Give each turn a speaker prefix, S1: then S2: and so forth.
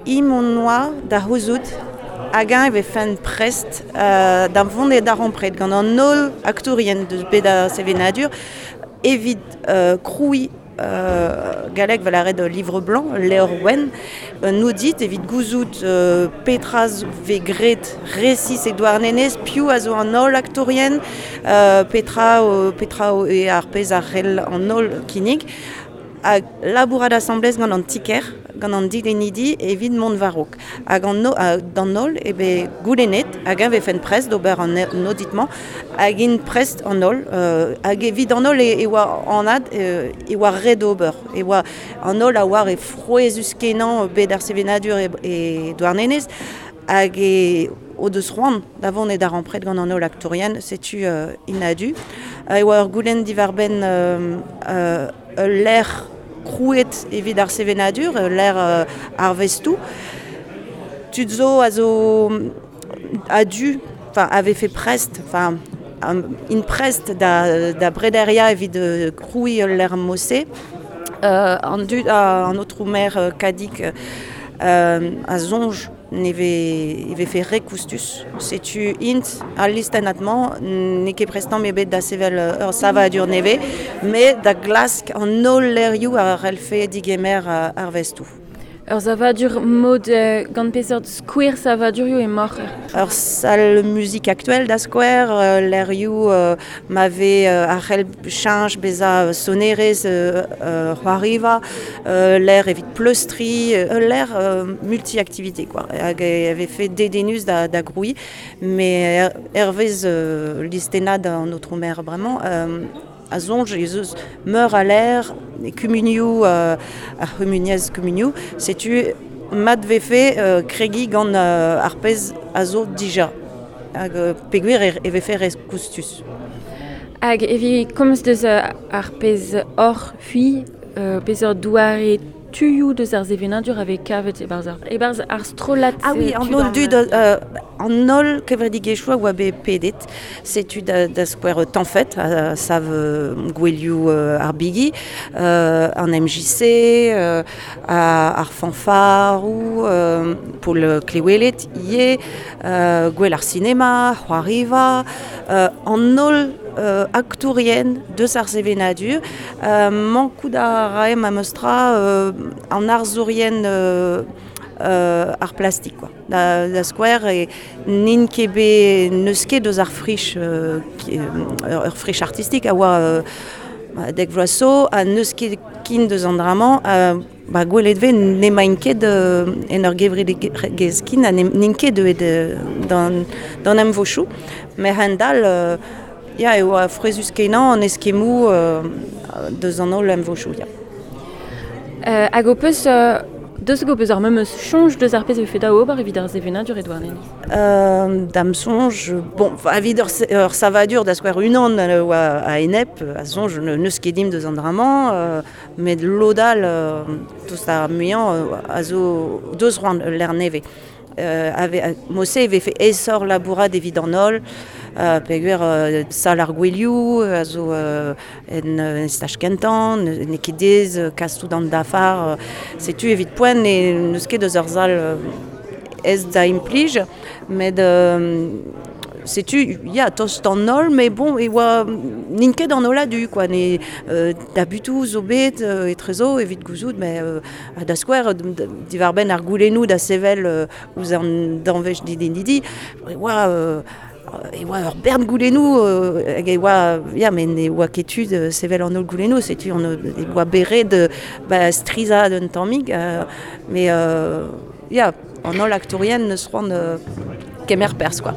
S1: Imp hon oa da c'houzout hag-eñ e vefent prest da vont e darempred gant an holl aktourien deus bet ar sevenadur evit krouiñ galleg 'vel lâret livre blanc, ul levr wenn, un audit evit gouzout petra 'vez graet resis e Douarnenez, piv a zo an holl aktourien, petra petra eo ar pezh a c'hell an holl kinnig. Hag labourat asambles gant an ti-kêr, gant an dilennidi evit mont war-raok. Hag an d'an holl eo bet goulennet hag-eñ 'vefent prest d'ober an audit-mañ hag int prest an holl. Hag evit an holl e oa anat e oa ret ober. E oa an holl a oar e frouezhus-kenañ bed ar sevenadur e Douarnenez hag e o deus c'hoant da vont e darempred gant an holl aktourien, setu int a-du. E oa ur goulenn diwar-benn ul lec'h krouet evit ar sevenadur, ul lec'h arvestoù. Tud zo a zo a-du, enfin a vefe prest, enfin int prest da brederiañ evit krouiñ ul lec'h mod-se. An dud, an aotrou maer Kadig a soñj ne e vefe re koustus. Setu int al listennad-mañ n'eo ket prest tamm ebet da sevel ur savadur nevez, met da glask an holl lec'hioù a c'hellfe digemer arvestoù.
S2: Ur savadur mod gant peseurt skouer savadurioù emaoc'h?
S1: Ur sal muzik aktuel da skouer, lec'hioù ma vez a c'hell cheñch bezañ sonerezh c'hoariva, lec'h evit pleustriñ, ul lec'h multi-activité quoi. Hag e vefe dedennus da grouiñ, met hervez listennad an aotrou maer bremañ, a soñj ez eus meur a lec'h e kumunioù ar c'humuniezh kumunioù. Setu mat vefe kregiñ gant ar pezh a zo dija hag peogwir e vefe re koustus.
S2: Hag evit komz deus ar pezh hoc'h c'hwi, peseurt doare tuioù deus ar sevenadur a vez kavet e-barzh ar strollad?
S1: Ah oui, an holl dud, an holl kevredigezhioù a oa bet pedet. Setu da skouer Tanfet, a sav gouelioù ar bigi, an MJC, ar fanfaroù, Pol Klewelet ivez, gwell ar sinema, c'hoariva, an holl aktourien deus ar sevenadur. Mankout a rae memes tra an arzourien ar plastik quoi. Da skouer e n'int ket bet n'eus ket eus ar frich ur frich artistik a oa dek vloaz zo ha n'eus ket kin deus an dra-mañ. Ba gwelet 'vez n'emaint ket en ur gevredigezh kin ha n'int ket deuet d'an emvodoù. Met a-hend-all ya e oa frouezhus-kenañ an eskemmoù deus an holl emvodoù ya.
S2: Hag ho peus deus ho peus ar memes soñj deus ar pezh a vefe da ober evit ar sevenadur e Douarnenez?
S1: Da'm soñj, bon, evit ur savadur da skouer unan oa a-enep, a soñj n'eus ket dimp deus an dra-mañ, met lod all, tost ar muiañ, a zo deus c'hoant ul lec'h nevez. Mod-se e vefe aesoc'h labourat evit an holl, peogwir sal ar gouelioù a zo en staj kentañ, n'eo ket diaes kas tout an dafar. Setu evit poent n'eus ket eus ur sal aes da implij, met setu ya tost an holl, met bon e oa n'int ket an holl a-du quoi. Ne tabutoù zo bet etrezo evit gouzout, met da skouer diwar-benn ar goulennoù da sevel ouzh an danvez dilennidi, e oa e oa ur bern goulennoù hag e oa ya met ne oa ket tu da sevel an holl goulennoù, setu on e oa bet ret ba strizhaat un tammig, met ya an holl aktourien neus c'hoant kemer perzh quoi.